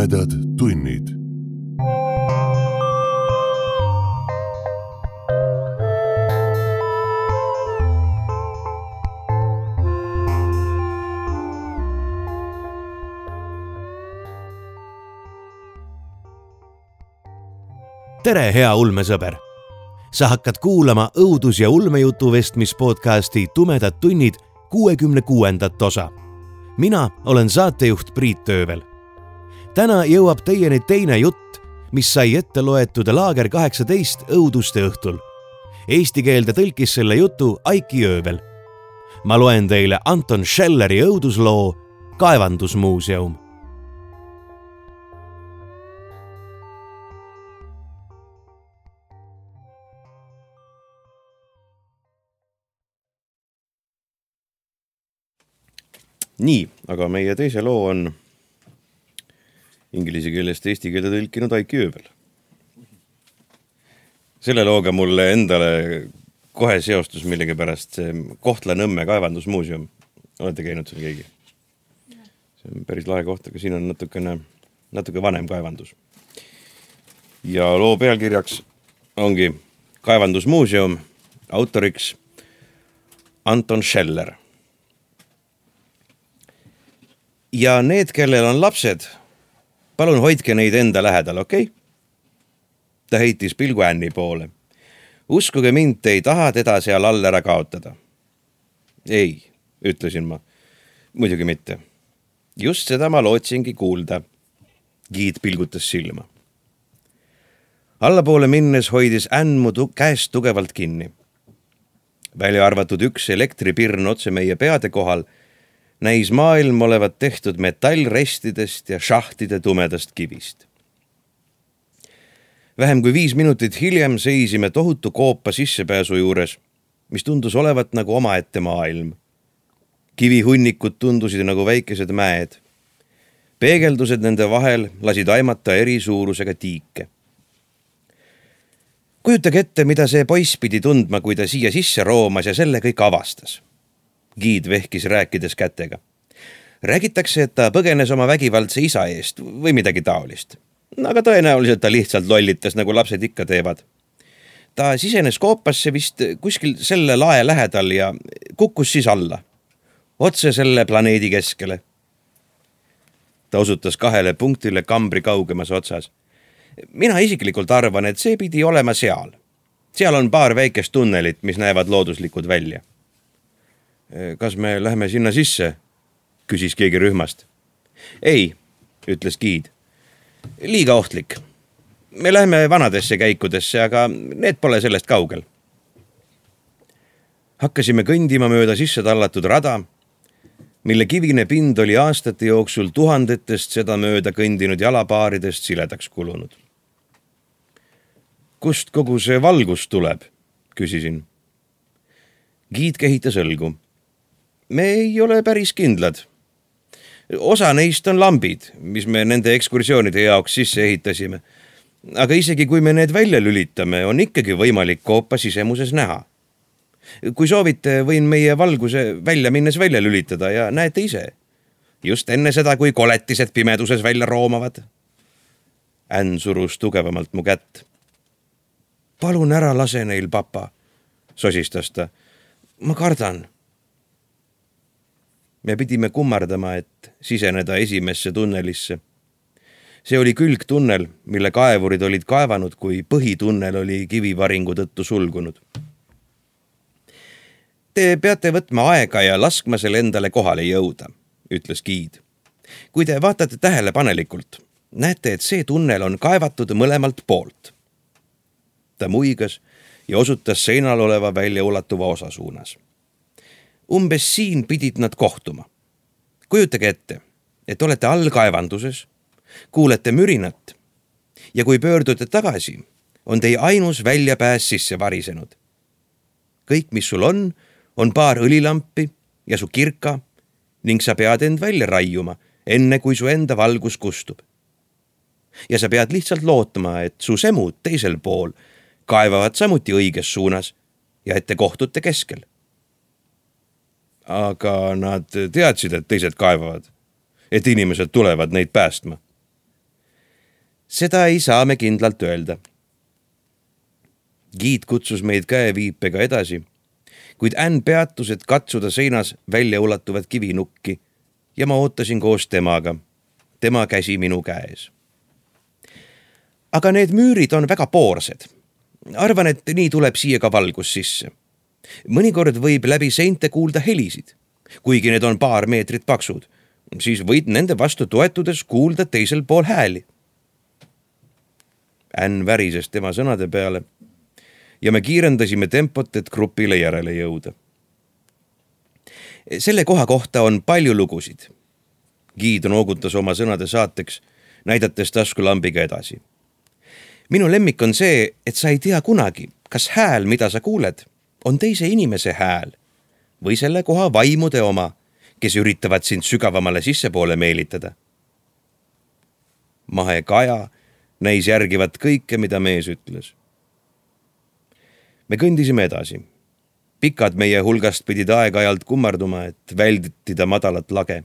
tumedad tunnid. Tere, hea ulmesõber! Sa hakkad kuulama õudus- ja ulmejutu vestmispodcasti Tumedad tunnid 66. osa. Mina olen saatejuht Priit Töövel. Täna jõuab teieni teine jutt, mis sai ette loetud Laager 18 õuduste õhtul. Eesti keelde tõlkis selle jutu Aiki Öövel. Ma loen teile Anton Schelleri õudusloo Kaevandusmuuseum. Nii, aga meie teise loo on inglise keelest eesti keelde tõlkinud Aiki Öövel. Selle looga mulle endale kohe seostus millegi pärast see Kohtla-Nõmme kaevandusmuuseum. Olete käinud seal keegi? See on päris lahe koht, aga siin on natuke vanem kaevandus. Ja loo pealkirjaks ongi Kaevandusmuuseum, autoriks Anton Scheller. Ja need, kellel on lapsed, palun hoidke neid enda lähedal, okei? Ta heitis pilgu Anni poole. Uskuge mind, te ei taha teda seal all ära kaotada. Ei, ütlesin ma. Muidugi mitte. Just seda ma lootsingi kuulda. Giid pilgutas silma. Allapoole minnes hoidis Ann mu käest tugevalt kinni. Välja arvatud üks elektripirn otse meie peade kohal, näis maailm olevat tehtud metallrestidest ja šahtide tumedast kivist. Vähem kui 5 minutit hiljem seisime tohutu koopa sissepääsu juures, mis tundus olevat nagu omaette maailm. Kivihunnikud tundusid nagu väikesed mäed. Peegeldused nende vahel lasid aimata eri suurusega tiike. Kujutage ette, mida see poiss pidi tundma, kui ta siia sisse roomas ja selle kõik avastas. Giid vehkis rääkides kätega. Räägitakse, et ta põgenes oma vägivaldse isa eest või midagi taolist. Aga tõenäoliselt ta lihtsalt lollitas, nagu lapsed ikka teevad. Ta sisenes koopasse vist kuskil selle lae lähedal ja kukkus siis alla. Otse selle planeedi keskele. Ta osutas 2 punktile kambri kaugemas otsas. Mina isiklikult arvan, et see pidi olema seal. Seal on paar väikest tunnelit, mis näevad looduslikud välja. Kas me lähme sinna sisse? Küsis keegi rühmast. Ei, ütles Giid. Liiga ohtlik. Me lähme vanadesse käikudesse, aga need pole sellest kaugel. Hakkasime kõndima mööda sisse tallatud rada, mille kivine pind oli aastate jooksul tuhandetest seda mööda kõndinud jalapaaridest siledaks kulunud. Kust kogu see valgus tuleb? Küsisin. Giid kehitas õlgu. Me ei ole päris kindlad. Osa neist on lambid, mis me nende ekskursioonide jaoks sisse ehitasime. Aga isegi kui me need välja lülitame, on ikkagi võimalik koopa sisemuses näha. Kui soovite, võin meie valguse välja minnes välja lülitada ja näete ise. Just enne seda, kui koletised pimeduses välja roomavad. Ann surus tugevamalt mu kätt. Palun ära lase neil, papa, sosistas ta. Ma kardan. Me pidime kummardama, et siseneda esimesse tunnelisse. See oli külgtunnel, mille kaevurid olid kaevanud, kui põhitunnel oli kivivaringu tõttu sulgunud. Te peate võtma aega ja laskma selle endale kohale jõuda, ütles Giid. Kui te vaatate tähelepanelikult, näete, et see tunnel on kaevatud mõlemalt poolt. Ta muigas ja osutas seinal oleva väljaulatuva osa suunas. Umbes siin pidid nad kohtuma. Kujutage ette, et olete all kaevanduses, kuulete mürinat ja kui pöördute tagasi, on teie ainus väljapääs sisse varisenud. Kõik, mis sul on paar õlilampi ja su kirka ning sa pead end välja raiuma, enne kui su enda valgus kustub. Ja sa pead lihtsalt lootma, et su semud teisel pool kaevavad samuti õiges suunas ja et te kohtute keskel. Aga nad teadsid, et teised kaevavad, et inimesed tulevad neid päästma. Seda ei saa me kindlalt öelda. Giid kutsus meid käeviipega edasi, kuid Ann peatus, et katsuda seinas välja ulatuvat kivinukki ja ma ootasin koos temaga, tema käsi minu käes. Aga need müürid on väga poorsed. Arvan, et nii tuleb siia ka valgus sisse. Mõnikord võib läbi seinte kuulda helisid, kuigi need on paar meetrit paksud, siis võid nende vastu toetudes kuulda teisel pool hääli. Ann värises tema sõnade peale ja me kiirendasime tempot, et grupile järele jõuda. Selle koha kohta on palju lugusid. Giid noogutas oma sõnade saateks, näidates taskulambiga edasi. Minu lemmik on see, et sa ei tea kunagi, kas hääl, mida sa kuuled, on teise inimese hääl või selle koha vaimude oma, kes üritavad sind sügavamale sissepoole meelitada. Mahe Kaja näis järgivat kõike, mida mees ütles. Me kõndisime edasi. Pikad meie hulgast pidid aeg-ajalt kummarduma, et väldida madalat lage.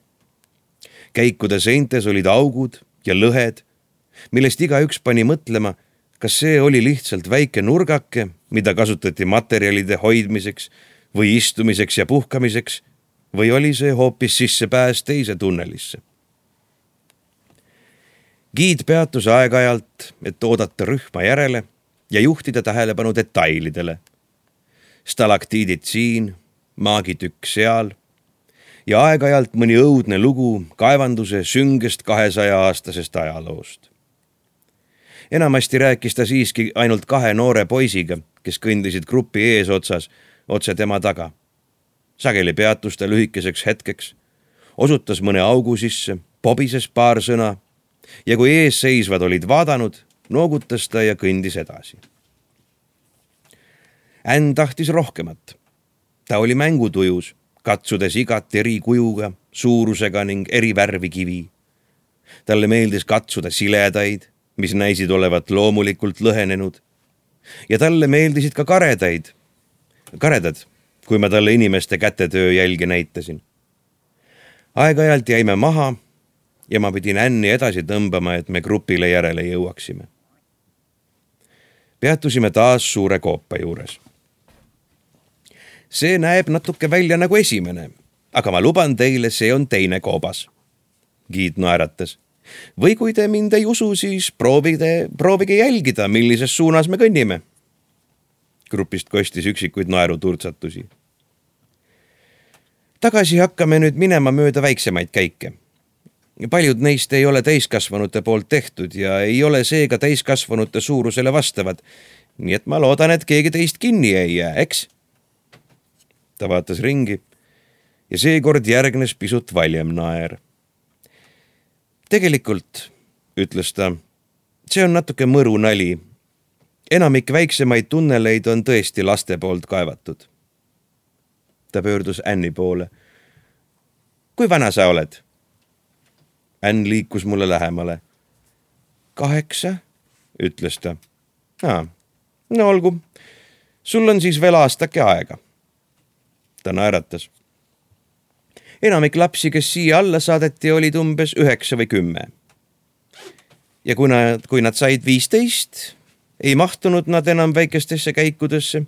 Käikude seintes olid augud ja lõhed, millest igaüks pani mõtlema, kas see oli lihtsalt väike nurgake, mida kasutati materjalide hoidmiseks või istumiseks ja puhkamiseks, või oli see hoopis sissepääs teise tunnelisse. Giid peatus aeg-ajalt, et oodata rühma järele ja juhtida tähelepanu detailidele. Stalaktiidid siin, maagitükk seal ja aeg-ajalt mõni õudne lugu kaevanduse süngest 200-aastasest ajaloost. Enamasti rääkis ta siiski ainult 2 noore poisiga, kes kõndisid grupi eesotsas, otse tema taga. Sageli peatus ta lühikeseks hetkeks, osutas mõne augu sisse, pobises paar sõna ja kui eesseisvad olid vaadanud, noogutas ta ja kõndis edasi. Ann tahtis rohkemat. Ta oli mängutujus, katsudes igat eri kujuga, suurusega ning eri värvi kivi. Talle meeldis katsuda siledaid, mis näisid olevat loomulikult lõhenenud. Ja talle meeldisid ka karedad, kui ma talle inimeste kätetöö jälgi näitasin. Aeg-ajalt jäime maha ja ma pidin Anni edasi tõmbama, et me grupile järele jõuaksime. Peatusime taas suure koopa juures. See näeb natuke välja nagu esimene, aga ma luban teile, see on teine koobas. Giid naeratas. Või kui te mind ei usu, siis proovige jälgida, millises suunas me kõnnime. Grupist kostis üksikuid naeruturtsatusi. Tagasi hakkame nüüd minema mööda väiksemaid käike. Paljud neist ei ole täiskasvanute poolt tehtud ja ei ole seega täiskasvanute suurusele vastavad, nii et ma loodan, et keegi teist kinni ei jää, eks? Ta vaatas ringi ja seekord järgnes pisut valjem naer. Tegelikult, ütles ta, see on natuke mõru nali. Enamik väiksemaid tunneleid on tõesti laste poolt kaevatud. Ta pöördus Anni poole. Kui vana sa oled? Ann liikus mulle lähemale. 8, ütles ta. No olgu, sul on siis veel aastake aega. Ta naeratas. Enamik lapsi, kes siia alla saadeti, olid umbes 9 või 10. Ja kui nad said 15, ei mahtunud nad enam väikestesse käikudesse.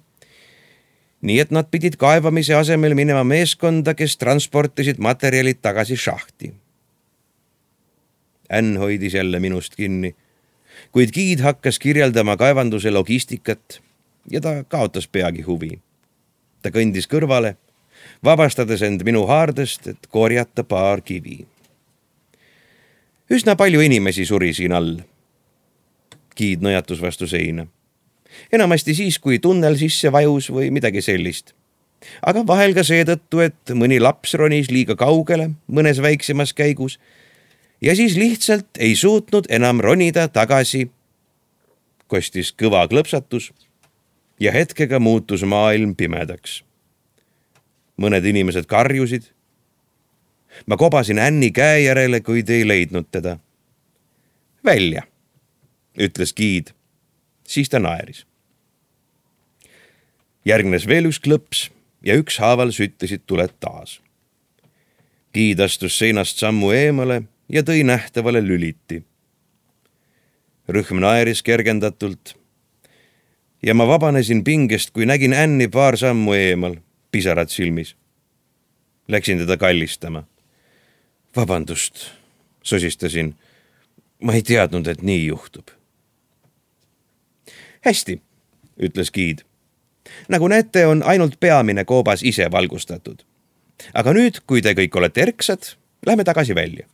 Nii et nad pidid kaevamise asemel minema meeskonda, kes transportisid materjalid tagasi šahti. Ann hoidis jälle minust kinni, kuid Giid hakkas kirjeldama kaevanduse logistikat ja ta kaotas peagi huvi. Ta kõndis kõrvale, vabastades end minu haardest, et korjata paar kivi. Üsna palju inimesi suri siin all. Giid nõjatus vastu seina. Enamasti siis, kui tunnel sisse vajus või midagi sellist. Aga vahel ka seetõttu, et mõni laps ronis liiga kaugele mõnes väiksemas käigus ja siis lihtsalt ei suutnud enam ronida tagasi. Kostis kõva klõpsatus ja hetkega muutus maailm pimedaks. Mõned inimesed karjusid. Ma kobasin Anni käe järele, kuid ei leidnud teda. Välja, ütles Giid. Siis ta naeris. Järgnes veel üks klõps ja ükshaaval süttisid tuled taas. Giid astus seinast sammu eemale ja tõi nähtavale lüliti. Rühm naeris kergendatult ja ma vabanesin pingest, kui nägin Anni paar sammu eemal, pisarad silmis. Läksin teda kallistama. Vabandust, sosistasin. Ma ei teadnud, et nii juhtub. Hästi, ütles giid. Nagu näete, on ainult peamine koobas ise valgustatud. Aga nüüd, kui te kõik olete erksad, lähme tagasi välja.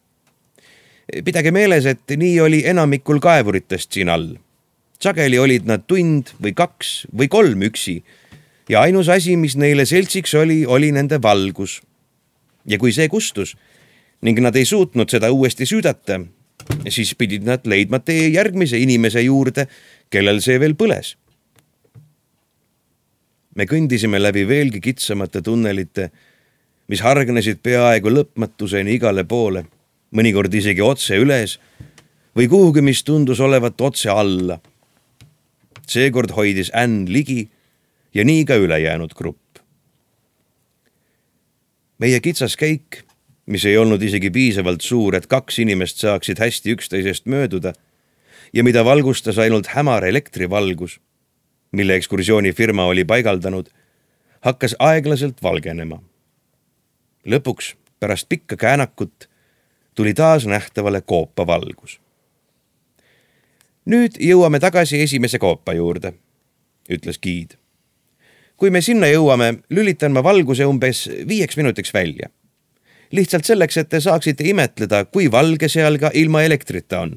Pidage meeles, et nii oli enamikul kaevuritest siin all. Sageli olid nad tund või 2 või 3 üksi ja ainus asi, mis neile seltsiks oli nende valgus. Ja kui see kustus ning nad ei suutnud seda uuesti süüdata, siis pidid nad leidma tee järgmise inimese juurde, kellel see veel põles. Me kõndisime läbi veelgi kitsamate tunnelite, mis hargnesid peaaegu lõpmatuseni igale poole, mõnikord isegi otse üles või kuhugi, mis tundus olevat otse alla. Seekord hoidis Ann ligi ja nii ka ülejäänud grupp. Meie kitsas käik, mis ei olnud isegi piisavalt suur, et 2 inimest saaksid hästi üksteisest mööduda ja mida valgustas ainult hämar elektrivalgus, mille ekskursioonifirma oli paigaldanud, hakkas aeglaselt valgenema. Lõpuks, pärast pikka käänakut, tuli taas nähtavale koopa valgus. Nüüd jõuame tagasi esimese koopa juurde, ütles giid. Kui me sinna jõuame, lülitan ma valguse umbes 5 minutiks välja. Lihtsalt selleks, et te saaksite imetleda, kui valge seal ka ilma elektrita on.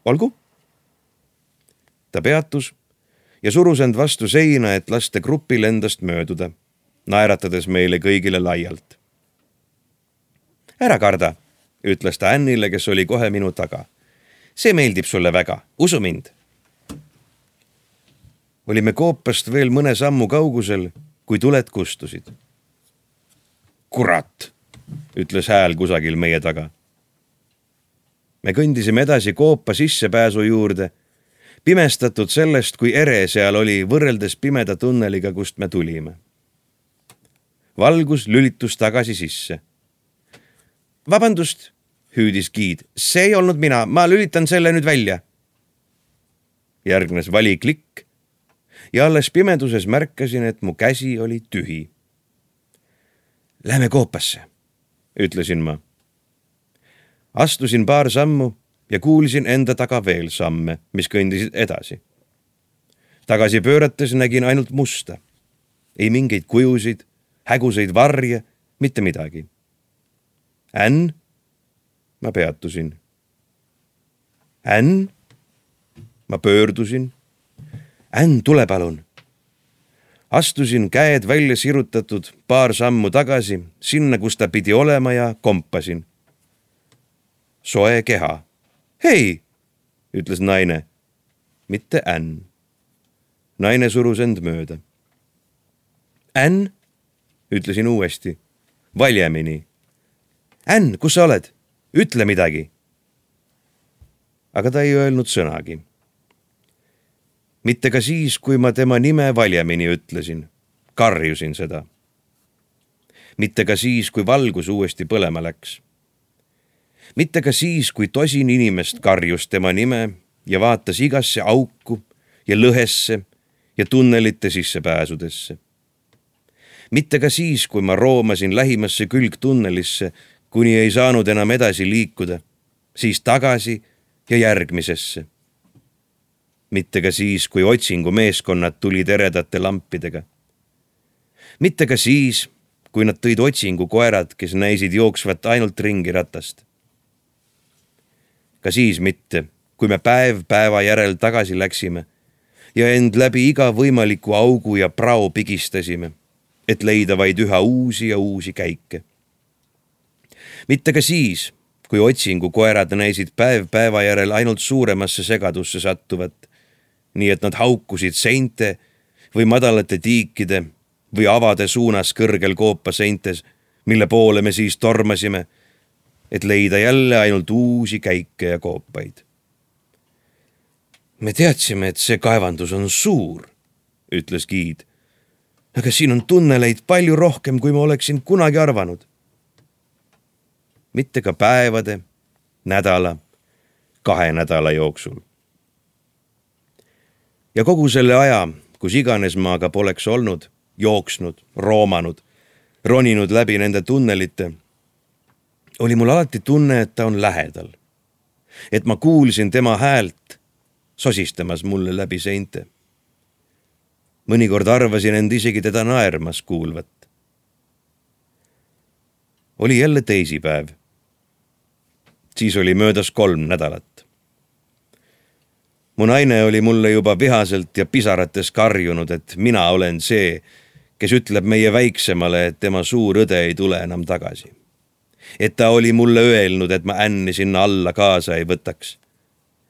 Olgu? Ta peatus ja surus end vastu seina, et lasta grupil endast mööduda, naeratades meile kõigile laialt. Ära karda, ütles ta Annile, kes oli kohe minu taga. See meeldib sulle väga, usu mind. Olime koopast veel mõne sammu kaugusel, kui tuled kustusid. Kurat, ütles hääl kusagil meie taga. Me kõndisime edasi koopa sissepääsu juurde, pimestatud sellest, kui ere seal oli võrreldes pimeda tunneliga, kust me tulime. Valgus lülitus tagasi sisse. Vabandust, hüüdis giid, see ei olnud mina, ma lülitan selle nüüd välja. Järgnes valiklikk ja alles pimeduses märkasin, et mu käsi oli tühi. Lähme koopasse, ütlesin ma. Astusin paar sammu ja kuulsin enda taga veel samme, mis kõndisid edasi. Tagasi pöörates nägin ainult musta. Ei mingeid kujusid, häguseid varje, mitte midagi. Ann? Ma peatusin. Ann? Ma pöördusin. Ann, tule palun. Astusin käed välja sirutatud paar sammu tagasi, sinna, kus ta pidi olema ja kompasin. Soe keha. Hei, ütles naine. Mitte Ann. Naine surus end mööda. Ann, ütlesin uuesti. Valjemini. Ann, kus sa oled? Ütle midagi. Aga ta ei öelnud sõnagi. Mitte ka siis, kui ma tema nime valjemini ütlesin. Karjusin seda. Mitte ka siis, kui valgus uuesti põlema läks. Mitte ka siis, kui tosin inimest karjus tema nime ja vaatas igasse auku ja lõhesse ja tunnelite sissepääsudesse. Mitte ka siis, kui ma roomasin lähimasse külgtunnelisse, kuni ei saanud enam edasi liikuda, siis tagasi ja järgmisesse. Mitte ka siis, kui otsingumeeskonnad tulid eredate lampidega. Mitte ka siis, kui nad tõid otsingukoerad, kes näisid jooksvat ainult ringi ratast. Ka siis mitte, kui me päev päeva järel tagasi läksime ja end läbi iga võimaliku augu ja prao pigistasime, et leida vaid üha uusi ja uusi käike. Mitte ka siis, kui otsingukoerad näisid päev päeva järel ainult suuremasse segadusse sattuvat, nii et nad haukusid seinte või madalate tiikide või avade suunas kõrgel koopa seintes, mille poole me siis tormasime, et leida jälle ainult uusi käike ja koopaid. Me teadsime, et see kaevandus on suur, ütles giid, aga siin on tunneleid palju rohkem, kui ma oleksin kunagi arvanud. Mitte ka päevade, nädala, 2 nädala jooksul ja kogu selle aja, kus iganes ma aga poleks olnud, jooksnud, roomanud, roninud läbi nende tunnelite, oli mul alati tunne, et ta on lähedal. Et ma kuulsin tema häält sosistamas mulle läbi seinte. Mõnikord arvasin end isegi teda naermas kuulvat. Oli jälle teisipäev. Siis oli möödas 3 nädalat. Mu naine oli mulle juba vihaselt ja pisarates karjunud, et mina olen see, kes ütleb meie väiksemale, et tema suur õde ei tule enam tagasi. Et ta oli mulle öelnud, et ma Anni sinna alla kaasa ei võtaks.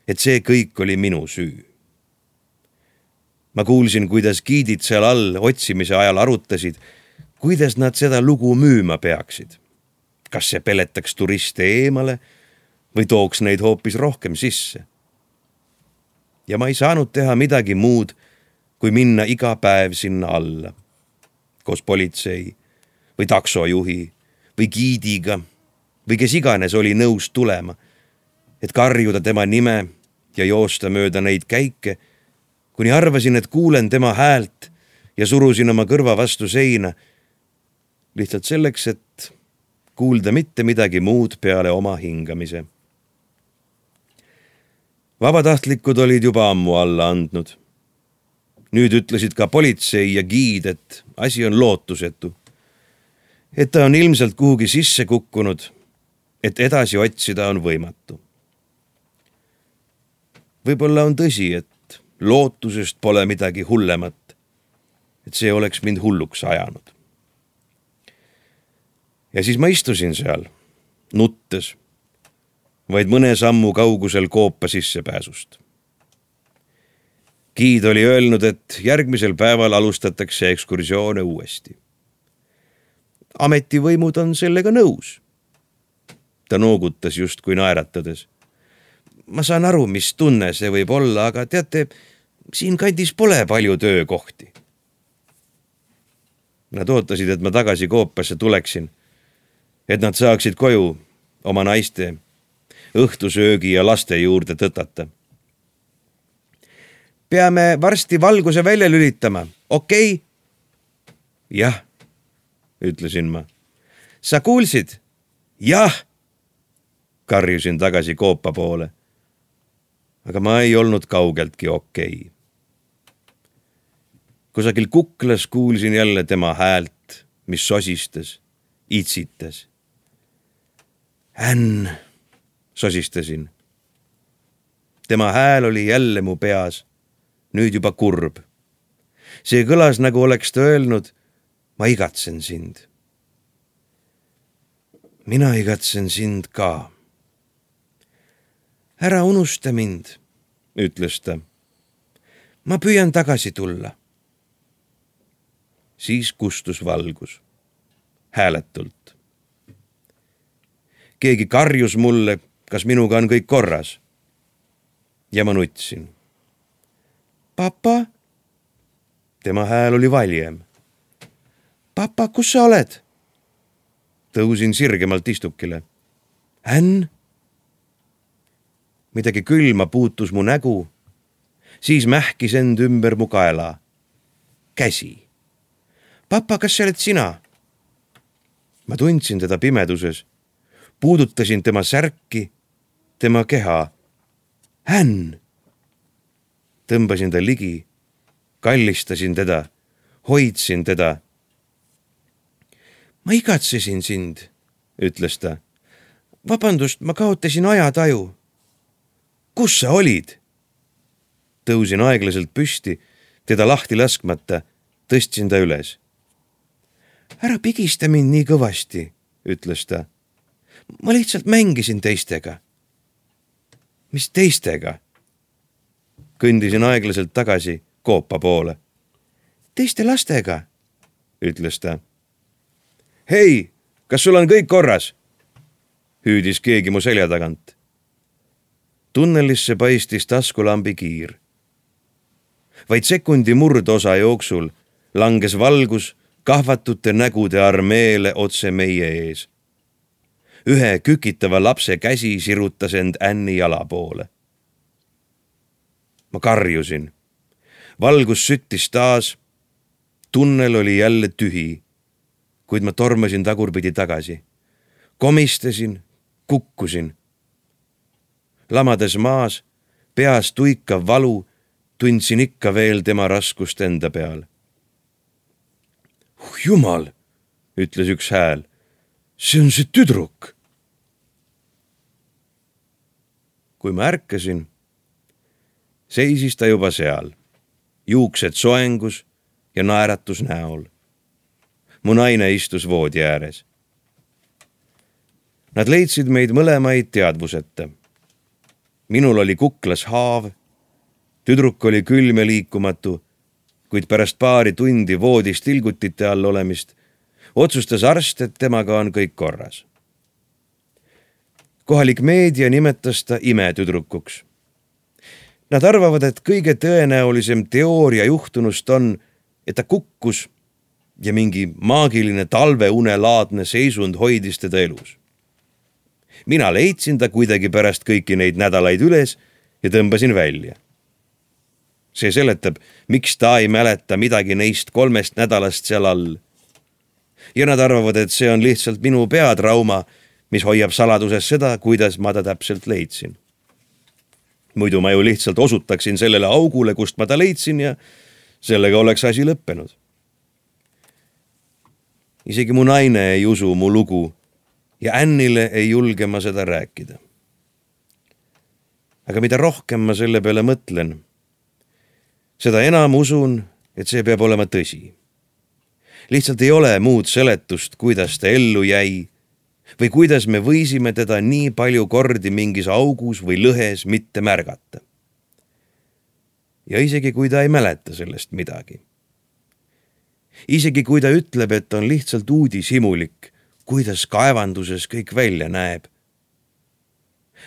Et see kõik oli minu süü. Ma kuulsin, kuidas giidid seal all otsimise ajal arutasid, kuidas nad seda lugu müüma peaksid. Kas see peletaks turiste eemale või tooks neid hoopis rohkem sisse. Ja ma ei saanud teha midagi muud, kui minna iga päev sinna alla. Koos politsei või taksojuhi või giidiga või kes iganes oli nõus tulema, et karjuda tema nime ja joosta mööda neid käike, kuni arvasin, et kuulen tema häält ja surusin oma kõrva vastu seina, lihtsalt selleks, et kuulda mitte midagi muud peale oma hingamise. Vabatahtlikud olid juba ammu alla andnud. Nüüd ütlesid ka politsei ja giid, et asi on lootusetu. Et ta on ilmselt kuhugi sisse kukkunud, et edasi otsida on võimatu. Võib-olla on tõsi, et lootusest pole midagi hullemat, et see oleks mind hulluks ajanud. Ja siis ma istusin seal, nuttes, vaid mõne sammu kaugusel koopa sissepääsust. Giid oli öelnud, et järgmisel päeval alustatakse ekskursioone uuesti. Ametivõimud on sellega nõus. Ta noogutas justkui naeratades. Ma saan aru, mis tunne see võib olla, aga teate, siin kandis pole palju töökohti. Nad ootasid, et ma tagasi koopasse tuleksin, et nad saaksid koju oma naiste, õhtusöögi ja laste juurde tõtata. Peame varsti valguse välja lülitama, okei? Jah, ütlesin ma. Sa kuulsid? Jah, karjusin tagasi koopa poole. Aga ma ei olnud kaugeltki okei. Kusagil kuklas kuulsin jälle tema häält, mis sosistas, itsitas. Ann, sosistasin. Tema hääl oli jälle mu peas, nüüd juba kurb. See kõlas, nagu oleks ta öelnud, ma igatsen sind. Mina igatsen sind ka. Ära unusta mind, ütles ta. Ma püüan tagasi tulla. Siis kustus valgus. Hääletult. Keegi karjus mulle, kas minuga on kõik korras. Ja ma nutsin. Papa? Tema hääl oli valjem. Papa, kus sa oled? Tõusin sirgemalt istukile. Ann? Midagi külma puutus mu nägu, siis mähkis end ümber mu kaela. Käsi. Papa, kas see oled sina? Ma tundsin teda pimeduses, puudutasin tema särki, tema keha. Ann! Tõmbasin ta ligi, kallistasin teda, hoidsin teda. Ma igatsesin sind, ütles ta. Vabandust, ma kaotasin ajataju. Kus sa olid? Tõusin aeglaselt püsti, teda lahti laskmata, tõstsin ta üles. Ära pigista mind nii kõvasti, ütles ta. Ma lihtsalt mängisin teistega. Mis teistega? Kõndisin aeglaselt tagasi koopa poole. Teiste lastega, ütles ta. Hei, kas sul on kõik korras? Hüüdis keegi mu selja tagant. Tunnelisse paistis taskulambi kiir. Vaid sekundi murdosa jooksul langes valgus kahvatute nägude armeele otse meie ees. Ühe kükitava lapse käsi sirutas end Anni jala poole. Ma karjusin. valgus süttis taas. Tunnel oli jälle tühi, kuid ma tormasin tagurpidi tagasi. Komistasin, kukkusin. Lamades maas, peas tuikav valu, tundsin ikka veel tema raskust enda peal. Jumal, ütles üks hääl. See on see tüdruk. Kui ma ärkasin, seisis ta juba seal, juuksed soengus ja naeratus näol. Mu naine istus voodi ääres. Nad leidsid meid mõlemaid teadvuseta. Minul oli kuklas haav, tüdruk oli külm ja liikumatu, kuid pärast paari tundi voodis tilgutite all olemist otsustas arst, et temaga on kõik korras. Kohalik meedia nimetas ta imetüdrukuks. Nad arvavad, et kõige tõenäolisem teooria juhtunust on, et ta kukkus ja mingi maagiline talveunelaadne seisund hoidis teda elus. Mina leidsin ta kuidagi pärast kõiki neid nädalaid üles ja tõmbasin välja. See seletab, miks ta ei mäleta midagi neist 3 nädalast seal all. Ja nad arvavad, et see on lihtsalt minu peatrauma, mis hoiab saladuses seda, kuidas ma ta täpselt leidsin. Muidu ma ju lihtsalt osutaksin sellele augule, kust ma ta leidsin ja sellega oleks asi lõppenud. Isegi mu naine ei usu mu lugu ja Annile ei julge ma seda rääkida. Aga mida rohkem ma selle peale mõtlen, seda enam usun, et see peab olema tõsi. Lihtsalt ei ole muud seletust, kuidas ta ellu jäi või kuidas me võisime teda nii palju kordi mingis augus või lõhes mitte märgata. Ja isegi kui ta ei mäleta sellest midagi. Isegi kui ta ütleb, et on lihtsalt uudishimulik, kuidas kaevanduses kõik välja näeb.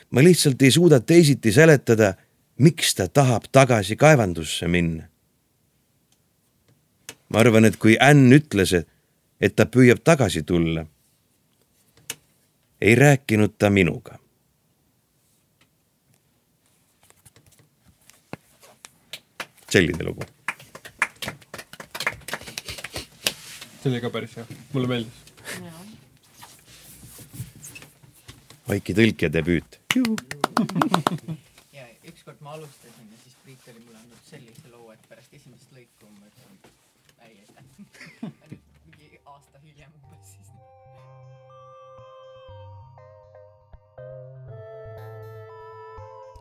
Ma lihtsalt ei suuda teisiti seletada, miks ta tahab tagasi kaevandusse minna. Ma arvan, et kui Ann ütles, et ta püüab tagasi tulla, ei rääkinud ta minuga. Selline lugu. See oli ka päris hea. Mulle meeldis. Vaiki tõlkja debüüt. Ja ükskord ma alustasin ja siis Priit oli mulle andnud sellise loo, et pärast esimest lõiku ma ütlesin, ei aitäh. Nüüd mingi aasta hiljem umbes siis.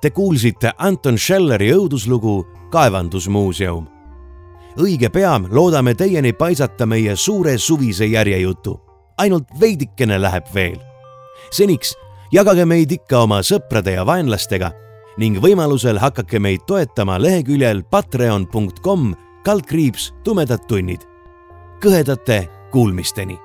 Te kuulsite Anton Schelleri õuduslugu Kaevandusmuuseum. Õige pea loodame teieni paisata meie suure suvise järjejutu. Ainult veidikene läheb veel. Seniks jagage meid ikka oma sõprade ja vaenlastega ning võimalusel hakake meid toetama leheküljel patreon.com/tumedad tunnid. Kõhedate kuulmisteni!